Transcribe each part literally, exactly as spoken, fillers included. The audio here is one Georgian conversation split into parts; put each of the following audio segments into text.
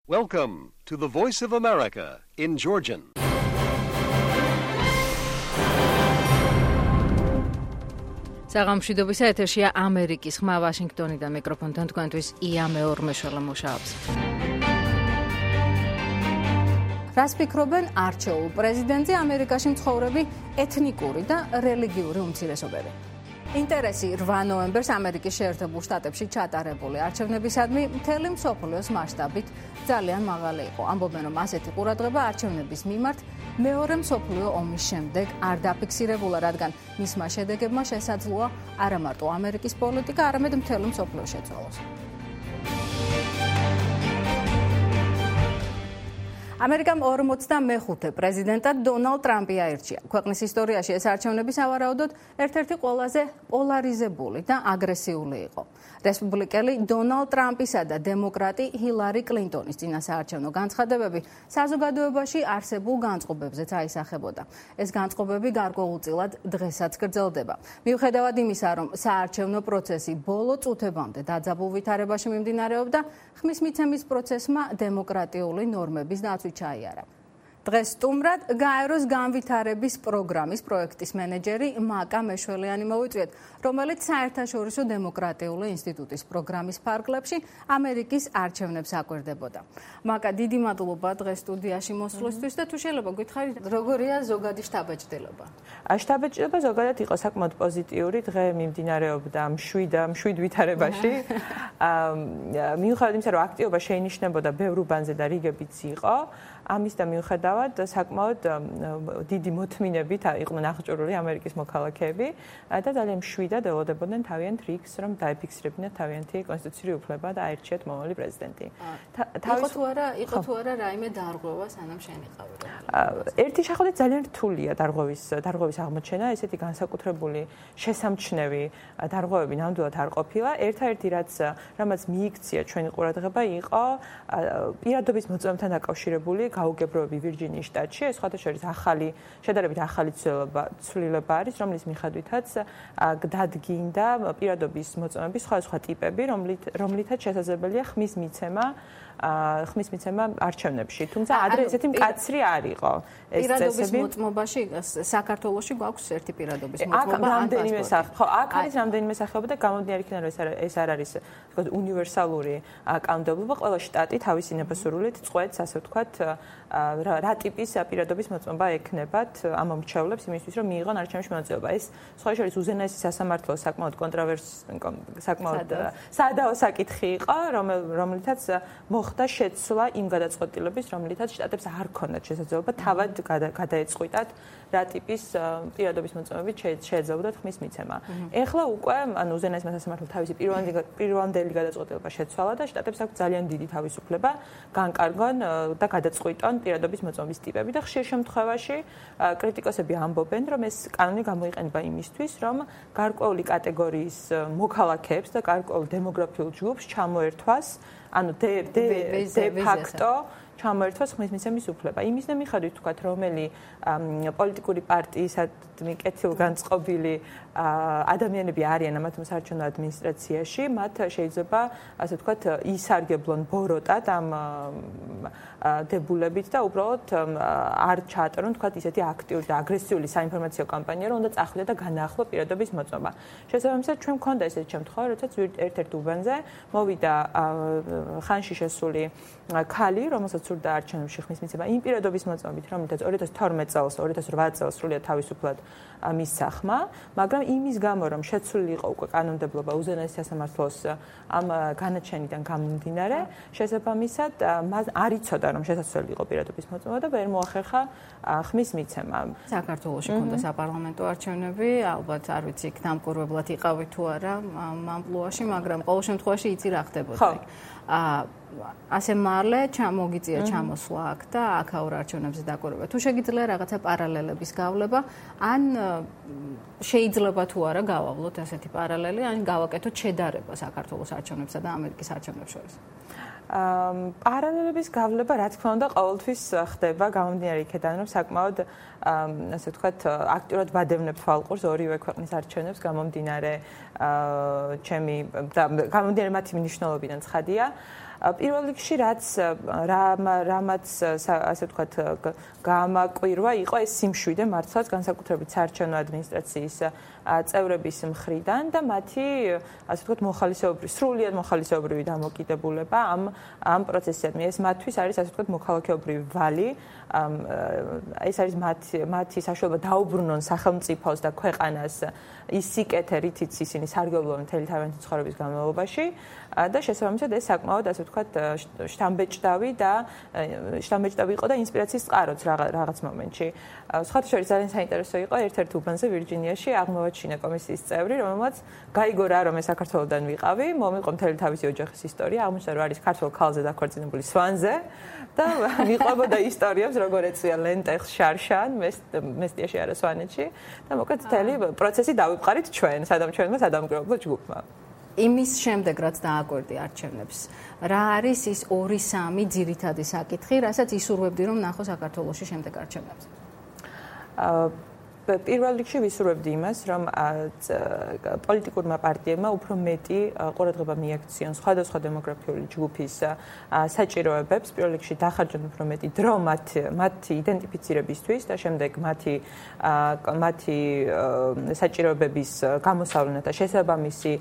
Welcome to the Voice of America in Georgian. საღამოშვიდობის ეთერშია ამერიკის ხმა ვაშინგტონიდან მიკროფონთან თქვენთვის ია მეორმეშველა მუშაობს. რას ფიქრობენ არჩეულ პრეზიდენტზე ამერიკაში მცხოვრები ეთნიკური და რელიგიური უმცირესობები? ინტერესი რვა ნოემბერს ამერიკის შეერთებულ შტატებში ჩატარებული არჩევნებისადმი მთელი მსოფლიოს მასშტაბით ძალიან მაღალი იყო. ამბობენ, რომ ასეთი ყურადღება არჩევნების მიმართ მეორე მსოფლიო ომის შემდეგ არ დაფიქსირებულა, რადგან მისმა შედეგებმა შესაძლოა არა მარტო ამერიკის პოლიტიკა, არამედ მთელი მსოფლიო შეცვალოს. ამერიკამ ორმოცდამეხუთე პრეზიდენტად დონალდ ტრამპი აირჩია. ქვეყნის ისტორიაში ეს არჩევნები სავარაუდოდ ერთ-ერთი ყველაზე პოლარიზებული და აგრესიული იყო. რესპუბლიკელი დონალდ ტრამპისა და დემოკრატი ჰილარი კლინტონის წინასაარჩევნო განცხადებები საზოგადოებაში არსებულ განწყობებზეც აისახებოდა. ეს განწყობები გარკვეულწილად დღესაც გრძელდება. მიუხედავად იმისა, რომ საარჩევნო პროცესი ბოლო წუთებამდე დაძაბულ ვითარებაში მიმდინარეობდა, ხმის მიცემის პროცესმა დემოკრატიული ნორმების დაცვით ჩაიარა. დღეს სტუმრად გაეროს განვითარების პროგრამის პროექტის მენეჯერი მაკა მეშველიანი მოვიწვიეთ, რომელიც საერთაშორისო დემოკრატიული ინსტიტუტის პროგრამის ფარგლებში ამერიკის არჩევნებს აკვირდებოდა. მაკა, დიდი მადლობა დღეს სტუდიაში მოსვლისთვის და თუ შეიძლება გითხარით, როგორია ზოგადი შთაბეჭდილება? შთაბეჭდილება ზოგადად იყო საკმაოდ პოზიტიური, დღე მიმდინარეობდა მშვიდ მშვიდ ვითარებაში. მიუხედავად იმისა, რომ აქტივობა შეინიშნებოდა ბევრ უბანზე და რიგებიც იყო, ამის და მიუხედავად საკმაოდ დიდი მოთმინებით იყვნენ აღჭურვილი ამერიკის მოქალაქეები და ძალიან მშვიდად ელოდებოდნენ თავიანთ რიგს, რომ დაეფიქსირებინათ თავიანთი კონსტიტუციური უფლება და აირჩიათ მომავალი პრეზიდენტი. იყო თუ არა, იყო თუ არა რაიმე დარღვევა სანამ შენიყავი? ერთი შეხედვით ძალიან რთულია დარღვევის დარღვევის აღმოჩენა, ესეთი განსაკუთრებული შესამჩნევი დარღვევები ნამდვილად არ ყოფილა. ერთადერთი რაც რამაც მიიქცია ჩვენი ყურადღება იყო პირადობის მოწმობასთან დაკავშირებული გაუგებროები ვირჯინიის შტატში. ეს სხვადასხვა ახალი შედარებით ახალი ცვლილება არის, რომლის მიხედვითაც დადგინდა პირადობის მოწმობის სხვადასხვა ტიპები, რომლითაც შესაძლებელია ხმის მიცემა ხმის მიცემა არჩევნებში. თუმცა ადრე ესეთი მკაცრი არ იყო. ეს პირადობის მოწმობაში საქართველოში გვაქვს ერთი პირადობის მოწმობა. აქ რამდენიმე სახე, ხო, აქ არის რამდენიმე სახეობა და გამომდინარე იქიდან რომ ეს არ არის თქო უნივერსალური კანონმდებლობა, ყველა შტატი თავისი ნებასრულით წყვეტს, ასე ვთქვათ, რა ტიპის პირადობის მოწმობა ექნებათ ამ მრჩევლებს იმისთვის, რომ მიიღონ არჩევნებში მონაწილეობა. ეს სხვა შორის უზენაესი სასამართლო საკმაოდ კონტროვერსი საკმაოდ სადაო საკითხი იყო, რომლითაც მოხდა შეცვლა იმ გადაწყვეტილების, რომლითაც შტატებს არ ქონდათ შესაძლებლობა თავად გადაეწყვიტათ რა ტიპის პირადობის მოწმობებით შეეძლებოდათ ხმის მიცემა. ეხლა უკვე ანუ უზენაესი სასამართლო თავისი პირვანდელი გადაწყვეტილება შეცვალა და შტატებს აქვს ძალიან დიდი თავისუფლება განკარგონ და გადაწყვიტონ პირადობის მოწმობის ტიპები და ხშირ შემთხვევაში კრიტიკოსები ამბობენ, რომ ეს კანონი გამოიყენება იმისთვის, რომ გარკვეული კატეგორიის მოქალაქეებს და გარკვეულ დემოგრაფიულ ჯგუფს ჩამოერთვას, ანუ დე ფაქტო ჩამოერთვას ხმის მიცემის უფლება. იმის მიხედვით ვთქვათ, რომელი პოლიტიკური პარტიისადმი კეთილგანწყობილი ადამიანები არიან ამათ საარჩევნო ადმინისტრაციაში, მათ შეიძლება ასე ვთქვათ ისარგებლონ ბოროტად ამ დებულებით და უბრალოდ არ ჩაატარონ თქვათ ისეთი აქტიური და აგრესიული საინფორმაციო კამპანია, რომ უნდა წახვიდეთ და განაახლო პირადობის მოწმობა. შესაბამისად, ჩვენ მქონდა ესეთი შემთხვევა, როდესაც ერთ-ერთ უბანზე მოვიდა ხანში შესული ქალი, რომელსაც სურდა არჩევნებში ხმის მიცემა იმ პირადობის მოწმობით, რომელთაც ორი ათას თორმეტ წელს, ორი ათას რვა წელს სრულიად თავისუფლად მისცა ხმა, მაგრამ იმის გამო, რომ შეცვლილი იყო უკვე კანონმდებლობა უზენაესი სასამართლოს ამ განაჩენიდან გამომდინარე, შესაბამისად მას არ იცოდა, რომ შესაძლებელი იყო პირადობის მოწმობა და ვერ მოახერხა ხმის მიცემა. საქართველოში ქონდა საპარლამენტო არჩევნები, ალბათ არ ვიცი, იქ დამკვირვებლად იყავით თუ არა ამ ამპლუაში, მაგრამ ყოველ შემთხვევაში იცი რა ხდებოდა. ასე მალე ჩამოგიწია ჩამოსვლა აქ და აქაურ არჩევნებზე დაკვირვება. თუ შეგიძლია რაღაცა პარალელების გავლება, ან შეიძლება თუ არა გავავლოთ ასეთი პარალელი, ან გავაკეთოთ შედარება საქართველოს არჩევნებსა და ამერიკის არჩევნებს შორის. პარალელების გავლება, რა თქმა უნდა, ყოველთვის ხდება გამომდინარე იქიდან, რომ საკმაოდ ასე ვთქვათ, აქტიურად ვადევნებ თვალყურს ორივე ქვეყნის არჩევნებს გამომდინარე ჩემი და გამომდინარე მათი მნიშვნელობიდან ცხადია. პირველ რიგში რაც რამაც ასე ვთქვათ გამაკვირვა იყო ეს სიმშვიდე მართლაც განსაკუთრებით საარჩევნო ადმინისტრაციის წევრების მხრიდან და მათი ასე ვთქვათ მოხალისეობრივი სრულიად მოხალისეობრივი დამოკიდებულება ამ ამ პროცესისადმი ეს მათთვის არის ასე ვთქვათ მოქალაქეობრივი ვალი ეს არის მათი მათი საშუალება დაუბრუნონ სახელმწიფოს და ქვეყანას ის სიკეთე რითიც ისინი სარგებლობენ მთელი თავიანთი ცხოვრების განმავლობაში და შესაბამისად ეს საკმაოდ ასე ვთქვათ შთამბეჭდავი და შთამბეჭდავი იყო და ინსპირაციის წყაროც რაღაც მომენტში. სხვათა შორის ძალიან საინტერესო იყო ერთ-ერთ უბანზე ვირჯინიაში აღმოვაჩინა კომისიის წევრი, რომელმაც გაიგო რა რომ ეს საქართველოდან ვიყავი, მომიყო მთელი თავისი ოჯახის ისტორია, აღმოჩნდა რომ არის ქართულ ქალზე დაქორწინებული სვანზე და მიყვებოდა ისტორიებს როგორ ეწვია ლენტეხს შარშან, მესტიაში არა სვანეთში და მოკლედ მთელი პროცესი დავიწყარით ჩვენ, სადამ ჩვენმა სადამკვირვებლო ჯგუფმა. იმის შემდეგ რაც დააკვირდი არჩევნებს, რა არის ის ორი სამი ძირითადი საკითხი, რასაც ისურვებდი რომ ნახო საქართველოში შემდეგ არჩევნებზე? პირველ რიგში ვისურვებდი იმას, რომ პოლიტიკურმა პარტიებმა უფრო მეტი ყურადღება მიაქციონ სხვადასხვა დემოგრაფიული ჯგუფის საჭიროებებს, პირველ რიგში დახარჯონ უფრო მეტი დრო მათი იდენტიფიცირებისთვის და შემდეგ მათი მათი საჭიროებების გამოსავლენად და შესაბამისი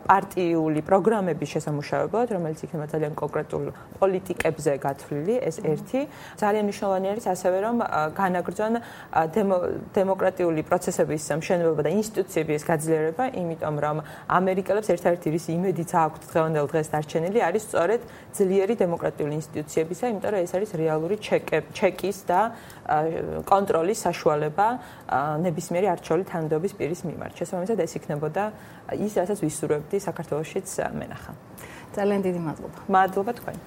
პარტიული პროგრამების შესამუშავებლად, რომელიც იქნება ძალიან კონკრეტულ პოლიტიკებზე გათვლილი, ეს ერთი. ძალიან მნიშვნელოვანი არის ასევე რომ განაგრძონ დემოკრატიული პროცესების მშენებლობა და ინსტიტუციების გაძლიერება, იმიტომ რომ ამერიკელებს ერთ-ერთი რის იმედიც აქვთ დღევანდელ დღეს დარჩენილი არის სწორედ ძლიერი დემოკრატიული ინსტიტუციებისა, იმიტომ რომ ეს არის რეალური ჩეკის და კონტროლის საშუალება ნებისმიერი არჩეული თანამდებობის პირის მიმართ. შესაბამისად ეს იქნებოდა ის, რასაც ვისურვებდი საქართველოშიც მენახა. ძალიან დიდი მადლობა. მადლობა თქვენ.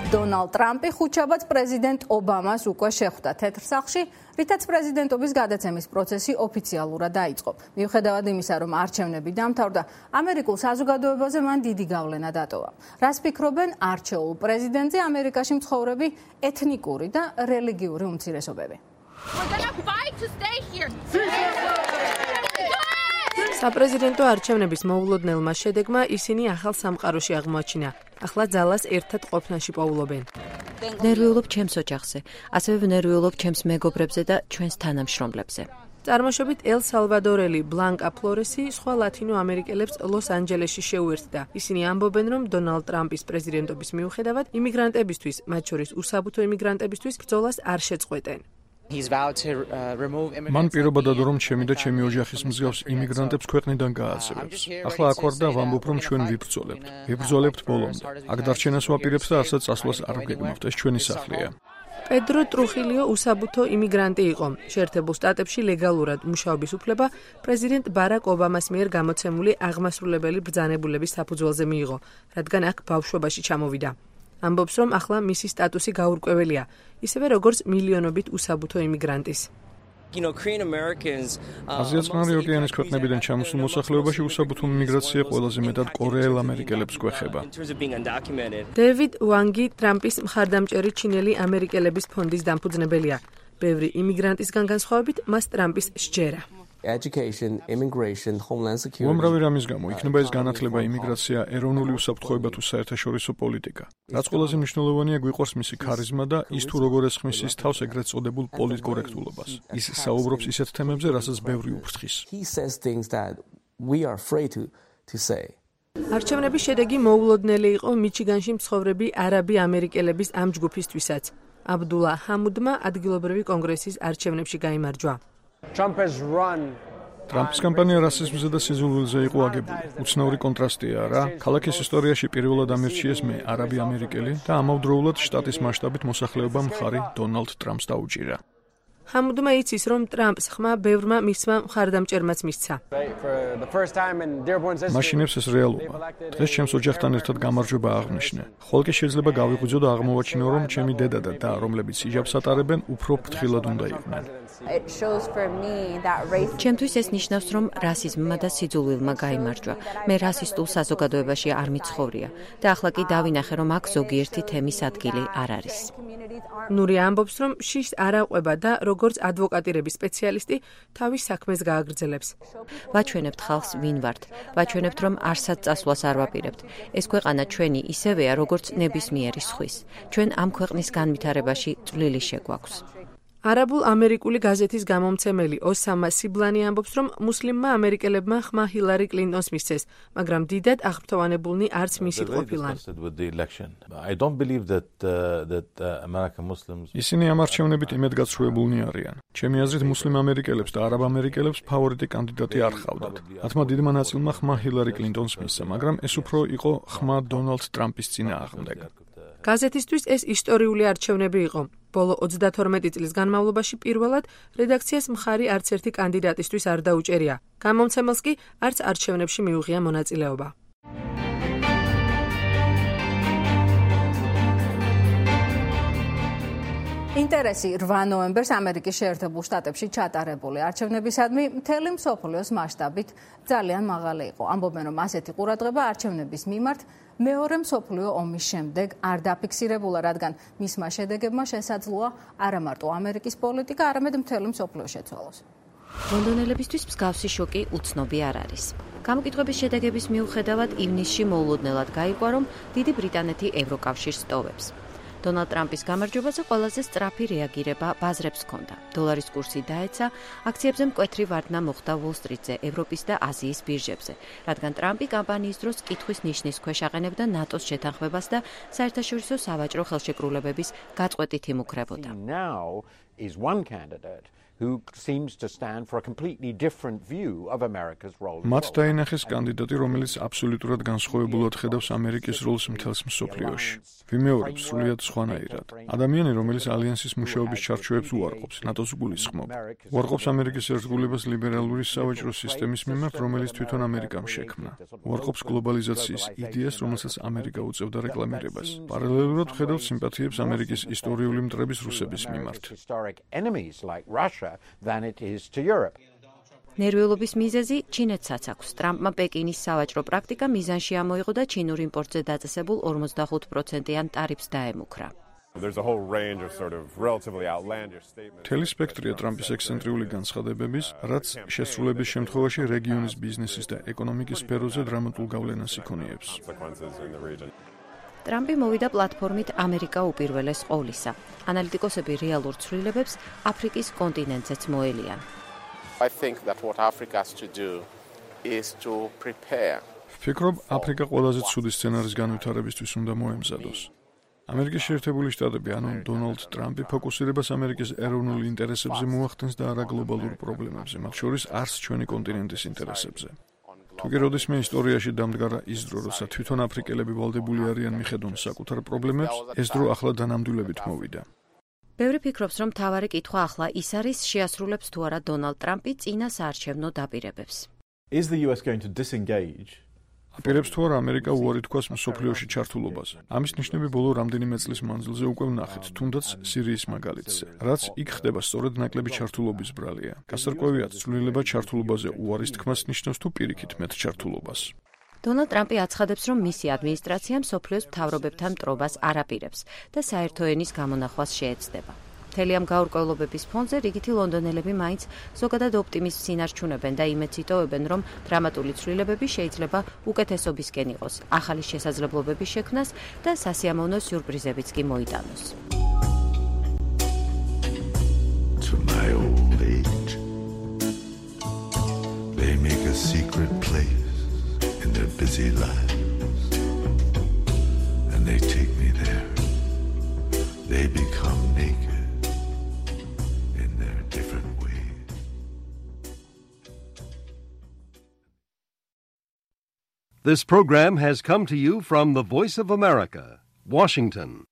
დონალდ ტრამპი ხუთშაბათს პრეზიდენტ ობამას უკვე შეხვდა თეთრ სახლში, რითაც პრეზიდენტობის გადაცემის პროცესი ოფიციალურად დაიწყო. მიუხედავად იმისა, რომ არჩევნები დამთავრდა, ამერიკულ საზოგადოებაზე მან დიდი გავლენა დატოვა. რას ფიქრობენ არჩეულ პრეზიდენტზე ამერიკაში მცხოვრები ეთნიკური და რელიგიური უმცირესობები? საპრეზიდენტო არჩევნების მოულოდნელმა შედეგმა ისინი ახალ სამყაროში აღმოაჩინა. ახლა ძალას ერთად ყოფნაში პოულობენ. ნერვიულობ ჩემს ოჯახზე, ასევე ვნერვიულობ ჩემს მეგობრებზე და ჩვენს თანამშრომლებზე. წარმოშობით ელ სალვადორელი ბლანკა ფლორესი სხვა ლათინო ამერიკელებს ლოს-ანჯელესში შეუერთდა. ისინი ამბობენ, რომ დონალდ ტრამპის პრეზიდენტობის მიუხედავად იმიგრანტებისთვის, მათ შორის უსაბუთო იმიგრანტებისთვის ბრძოლას არ შეწყვეტენ. მან პირობა დადო, რომ ჩემი და ჩემი ოჯახის მსგავს იმიგრანტებს ქვეყნიდან გააძევებს. ახლა აქ ვარ და ვამბობ, რომ ჩვენ ვიბრძოლებთ. ვიბრძოლებთ ბოლომდე. აქ დარჩენას ვაპირებთ და არცად წასვლას არ ვგეგმავთ. ეს ჩვენი სახლია. პედრო ტრუხილიო უსაბუთო იმიგრანტი იყო. შეერთებულ შტატებში ლეგალურად მუშაობის უფლება პრეზიდენტ ბარაკ ობამას მიერ გამოცემული აღმასრულებელი ბრძანებულების საფუძველზე მიიღო, რადგან აქ ბავშვობაში ჩამოვიდა. ამბობს, რომ ახლა მისი სტატუსი გაურკვეველია, ისევე როგორც მილიონობით უსაბუთო იმიგრანტის. აზია-წყნარი ოკეანის ქვეყნებიდან ჩამოსულ მოსახლეობაში უსაბუთო იმიგრაცია ყველაზე მეტად კორეელ ამერიკელებს გვეხება. დევიდ ვანგი ტრამპის მხარდამჭერი ჩინელი ამერიკელების ფონდის დამფუძნებელია. ბევრი იმიგრანტისგან განსხვავებით, მას ტრამპის სჯერა. Education, immigration, homeland security. უამრავი რამის გამო იქნება ეს განათლება, იმიგრაცია, ეროვნული უსაფრთხოება თუ საერთაშორისო პოლიტიკა. რაც ყველაზე მნიშვნელოვანია, გვიყვარს მისი ქარიზმა და ის თუ როგორ ესხმის ის თავს ეგრეთ წოდებულ პოლიტკორექტულობას. ის საუბრობს ისეთ თემებზე, რასაც ბევრი უფრთხის. He says things that we are afraid to to say. არჩევნების შედეგი მოულოდნელი იყო მიჩიგანში მცხოვრები არაბი ამერიკელების ამ ჯგუფისთვისაც. აბდულა ჰამუდმა ადგილობრივი კონგრესის არჩევნებში გაიმარჯვა. ტრამპის კამპანია რასიზმზე და სიზულვილზე იყო აგებული. უცნაური კონტრასტია რა. ქალაქის ისტორიაში პირველად ამირჩიეს მე, არაბი ამერიკელი და ამავდროულად შტატის მასშტაბით მოსახლეობა მხარი დონალდ ტრამპს დაუჭირა. ჰამუდმა იცის, რომ ტრამპს ხმა ბევრმა მისმა მხარდამჭერმაც მისცა. მაშინებს ეს რეალობა. დღეს ჩემს ოჯახთან ერთად გამარჯვება აღნიშნე. ხოლო კი შეიძლება გავიღვიძო და აღმოვაჩინო, რომ ჩემი დედა და და, რომლებიც იჯაბს ატარებენ, უფრო ფრთხილად უნდა იყვნენ. ჩემთვის ეს ნიშნავს, რომ რასიზმმა და სიძულვილმა გაიმარჯვა. მე რასისტულ საზოგადოებაში არ მიცხოვრია და ახლა კი დავინახე, რომ აქ ზოგიერთი თემის ადგილი არ არის. ნური ამბობს, რომ შიშს არ აყვება და როგორც ადვოკატირების სპეციალისტი თავის საქმეს გააგრძელებს. ვაჩვენებთ ხალხს ვინ ვართ. ვაჩვენებთ, რომ არსად წასვლას არ ვაპირებთ. ეს ქვეყანა ჩვენი ისევეა, როგორც ნებისმიერი სხვის. ჩვენ ამ ქვეყნის განვითარებაში წვლილი შეგვაქვს. არაბულ ამერიკული გაზეთის გამომცემელი ოსამა სიბლანი ამბობს, რომ მუსლიმმა ამერიკელებმა ხმა ჰილარი კლინტონს მისცეს, მაგრამ დიდად აღფრთოვანებულნი არც მისი ყოფილან. ისინი ამ არჩევნებით იმედგაცრუებულნი არიან. ჩემი აზრით, მუსლიმ ამერიკელებს და არაბ ამერიკელებს ფავორიტი კანდიდატი არ ჰყავდათ. მათმა დიდმა ნაწილმა ხმა ჰილარი კლინტონს მისცა, მაგრამ ეს უფრო იყო ხმა დონალდ ტრამპის წინააღმდეგ. გაზეთისთვის ეს ისტორიული არჩევნები იყო. ბოლო ოცდათორმეტი წლის განმავლობაში პირველად რედაქციას მხარი არც ერთი კანდიდატისთვის არ დაუჭერია. გამომცემელს კი არც არჩევნებში მიუღია მონაწილეობა. ინტერესი რვა ნოემბერს ამერიკის შეერთებულ შტატებში ჩატარებული არჩევნებისადმი მთელი მსოფლიოს მასშტაბით ძალიან მაღალი იყო. ამბობენ, რომ ასეთი ყურადღება არჩევნების მიმართ მეორე მსოფლიო ომის შემდეგ არ დაფიქსირებულა, რადგან მისმა შედეგებმა შესაძლოა არა მარტო ამერიკის პოლიტიკა, არამედ მთელი მსოფლიო შეცვალოს. ლონდონელებისთვის მსგავსი შოკი უცნობი არ არის. გამოკითხვების შედეგების მიუხედავად ივნისში მოულოდნელად გაიგო, რომ დიდი ბრიტანეთი ევროკავშირს ტოვებს. დონალდ ტრამპის გამარჯვებაზე ყველაზე სწრაფი რეაგირება ბაზრებს ჰქონდა. დოლარის კურსი დაეცა, აქციებზე მკვეთრი ვარდნა მოხდა უოლ-სტრიტზე, ევროპის და აზიის ბირჟებზე, რადგან ტრამპი კამპანიის დროს კითხვის ნიშნის ქვეშ აყენებდა ნატოს შეთანხმებას და საერთაშორისო სავაჭრო ხელშეკრულებების გაწყვეტით იმუქრებოდა. who seems to stand for a completely different view of America's role. მათ დაინახეს კანდიდატი, რომელიც აბსოლუტურად განსხვავებულად ხედავს ამერიკის როლს მთელს მსოფლიოში. ვიმეორებს სრულიად სხვანაირად. ადამიანი, რომელიც ალიანსის მუშაობის ჩარჩოებს უარყოფს, ნატოს გულისხმობ. უარყოფს ამერიკის ერთგულებას ლიბერალური სავაჭრო სისტემის მიმართ, რომელიც თვითონ ამერიკამ შექმნა. უარყოფს გლობალიზაციის იდეას, რომელსაც ამერიკა უწევდა რეკლამირებას. პარალელურად ხედავს სიმპათიებს ამერიკის ისტორიული მტრების რუსების მიმართ. than it is to Europe. ნერვიულობის მიზეზი ჩინეთსაც აქვს. ტრამპმა პეკინის სავაჭრო პრაქტიკა მიზანში ამოიღო და ჩინურ იმპორტზე დაწესებულ ორმოცდახუთ პროცენტიან ტარიფს დაემუქრა. There's a whole range of sort of relatively outlandish statements. თელი სპექტრია ტრამპის ექსცენტრიული განცხადებების, რაც შესრულების შემთხვევაში რეგიონის ბიზნესის და ეკონომიკის სფეროზე დრამატულ გავლენას იქონიებს. ტრამპი მოვიდა პლატფორმით ამერიკა უპირველეს ყოვლისა. ანალიტიკოსები რეალურ ცვლილებებს აფრიკის კონტინენტზეც მოელიან. I think that what Africa has to do is to prepare. ვფიქრობ, აფრიკა ყველაზე ცუდი სცენარის განვითარებისთვის უნდა მოემზადოს. ამერიკის შეერთებული შტატები, ანუ დონალდ ტრამპი ფოკუსირებას ამერიკის ეროვნულ ინტერესებზე მოახდენს და არა გლობალურ პრობლემებზე, მათ შორის არც ჩვენი კონტინენტის ინტერესებზე. თუკი როდისმე ისტორიაში დამდგარა ის დრო, როცა თვითონ აფრიკელები ვალდებული არიან მიხედონ საკუთარ პრობლემებს, ეს დრო ახლა დანამდვილებით მოვიდა. ბევრი ფიქრობს, რომ მთავარი კითხვა ახლა ის არის, შეასრულებს თუ არა დონალდ ტრამპი წინა საარჩევნო დაპირებებს. Is the U S going to disengage? აპირებს თუ არა ამერიკა უარი თქვას მსოფლიოში ჩართულობაზე. ამის ნიშნები ბოლო რამდენიმე წლის მანძილზე უკვე ვნახეთ, თუნდაც სირიის მაგალითზე. რაც იქ ხდება, სწორედ ნაკლები ჩართულობის ბრალია. გასარკვევია, ცვლილება ჩართულობაზე უარის თქმას ნიშნავს თუ პირიქით მეტ ჩართულობას. დონალდ ტრამპი აცხადებს, რომ მისი ადმინისტრაცია მსოფლიოს მთავრობებთან მტრობას არ აპირებს და საერთო ენის გამონახვას შეეცდება. მთელი ამ გაურკვევლობების ფონზე რიგითი ლონდონელები მაინც ზოგადად ოპტიმიზმს ინარჩუნებენ და იმედს იტოვებენ, რომ დრამატული ცვლილებები შეიძლება უკეთესობისკენ იყოს, ახალი შესაძლებლობების შექმნას და სასიამოვნო სიურპრიზებიც კი მოიტანოს. To my old age, they make a secret place in their busy lives, and they take me there. They become naked. This program has come to you from the Voice of America, Washington.